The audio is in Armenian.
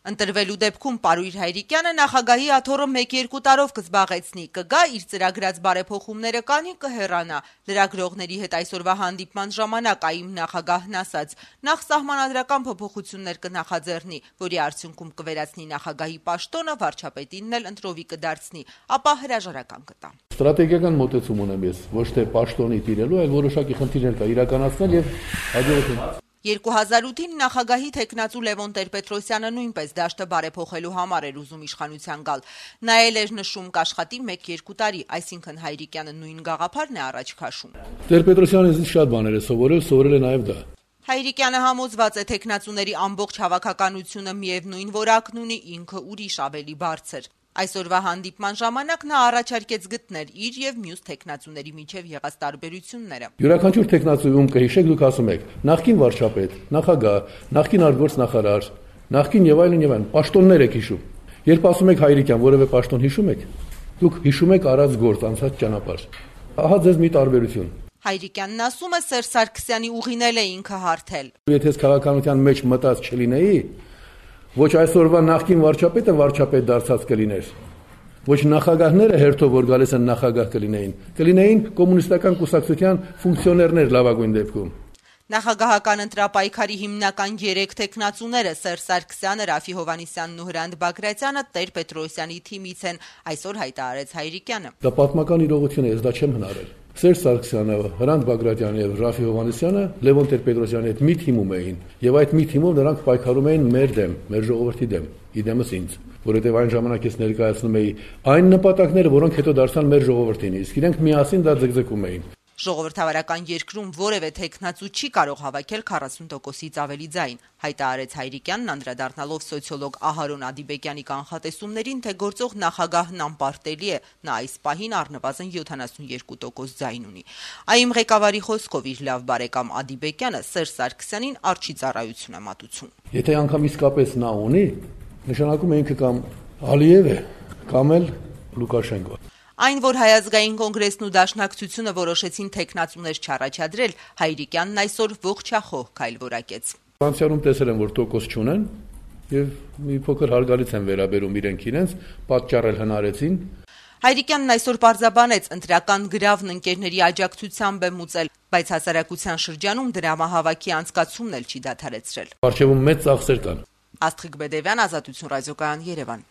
Ընտրվելու դեպքում Պարույր Հայրիկյանը նախագահի աթոռը 1-2 տարով կզբաղեցնի, կգա իր ծրագրած բարեփոխումները կանի, կհեռանա։ Լրագրողների հետ այսօրվա հանդիպման ժամանակ ԱԻՄ նախագահն ասաց, նախ սահմանադրական փոփոխություններ կնախաձեռնի, որի արդյունքում կվերացնի նախագահի պաշտոնը, վարչապետինն էլ ընտրովի կդարձնի, ապա հրաժարական կտա։ Ստրատեգիական մոտեցում ունեմ ես, ոչ թե պաշտոնի տիրելու, այլ որոշակի խնդիրներ կա իրականացնել եւ հաջողություն։ 2008-ին նախագահի թեկնածու Լևոն Տեր-Պետրոսյանը նույնպես դաշտը բարեփոխելու համար էր ուզում իշխանության գալ։ Նա էլ էր նշում կաշխատի 1-2 տարի, այսինքն Հայրիկյանը նույն գաղափարն է առաջ քաշում։ Տեր-Պետրոսյանը շատ բաներ է սովորել է նաեւ դա։ Հայրիկյանը համոզված է թեկնածուների ամբողջ հավաքականությունը միևնույն որակն ունի, ինքը ուրիշ ավելի բարձր։ Այսօրվա հանդիպման ժամանակ նա առաջարկեց գտնել իր եւ մյուս թեկնածուների միջև եղած տարբերությունները։ Յուրաքանչյուր թեկնածուում կհիշեք, դուք ասում եք նախկին վարչապետ, նախագահ, նախկին արտգործնախարար, նախկին եւ այլն, պաշտոններ եք հիշում։ Երբ ասում եք Հայրիկյան, որևէ պաշտոն հիշում եք, դուք հիշում եք արած գործ, անցած ճանապարհ։ Ահա ձեզ մի տարբերություն։ Հայրիկյանն ասում է Սերժ Սարգսյանի ուղին էլ է ինքը հարթել։ Եթե քաղաքականության մեջ մտած չլինեի, ոչ այսօրվա նախկին վարչապետը վարչապետ դարձած կլիներ, ոչ նախագահները հերթով որ գալիս են նախագահ կլինեին կոմունիստական կուսակցության ֆունկցիոներներ լավագույն դեպքում։ Նախագահական ընտրապայքարի հիմնական 3 թեկնածուները Սերժ Սարգսյանը, Ռաֆի Հովհաննիսյանն ու Հրանտ Բագրատյանը Տեր-Պետրոսյանի թիմից են, այսօր հայտարարեց Հայրիկյանը։ Դա պատմական իրողություն է, ես դա չեմ հնարել։ Սերժ Սարգսյանը, Հրանտ Բագրատյանը եւ Ռաֆի Հովհաննիսյանը Լևոն Տեր-Պետրոսյանի հետ մի թիմում էին, եւ այդ մի թիմով նրանք պայքարում էին մեր դեմ, մեր ժողովրդի դեմ, իդեմս ինձ, որովհետեւ այն ժամանակ ես ներկայացնում էի այն նպատակները, որոնք հետո դարձան մեր ժողովրդին, իսկ իրենք միասին դա ձգձգում էին։ Ժողովրդավարական երկրում որևէ թեկնածու չի կարող հավաքել 40%-ից ավելի ձայն, հայտարարեց Հայրիկյանն, անդրադառնալով սոցիոլոգ Ահարոն Ադիբեկյանի կանխատեսումներին, թե գործող նախագահն անպարտելի է, նա այս պահին առնվազն 72% ձայն ունի։ ԱԻՄ ղեկավարի խոսքով իր լավ բարեկամ Ադիբեկյանը Սերժ Սարգսյանին արջի ծառայություն է մատուցում։ Եթե անգամ իսկապես նա ունի, նշանակում է ինքը կամ Ալիև է, կամ էլ Լուկաշենկո։ Այն, որ Հայազգային կոնգրեսն ու Դաշնակցությունը որոշեցին թեկնածուներ չառաջադրել, Հայրիկյանն այսօր ողջախոհ քայլ որակեց։ Անցյալում տեսել եմ, որ տոկոս չունեն եւ մի փոքր հարգալից են վերաբերում իրենց, պատճառել հնարեցին։ Հայրիկյանն այսօր պարզաբանեց, ընտրական գրավն ընկերների աջակցությամբ է մուծել, բայց հասարակության շրջանում դրամահավաքի անցկացումն էլ չի դադարեցրել։ Արժևում մեծ ծախսեր կան։ Աստղիկ Բեդևյան, Ազատություն ռադիոկայան, Երևան։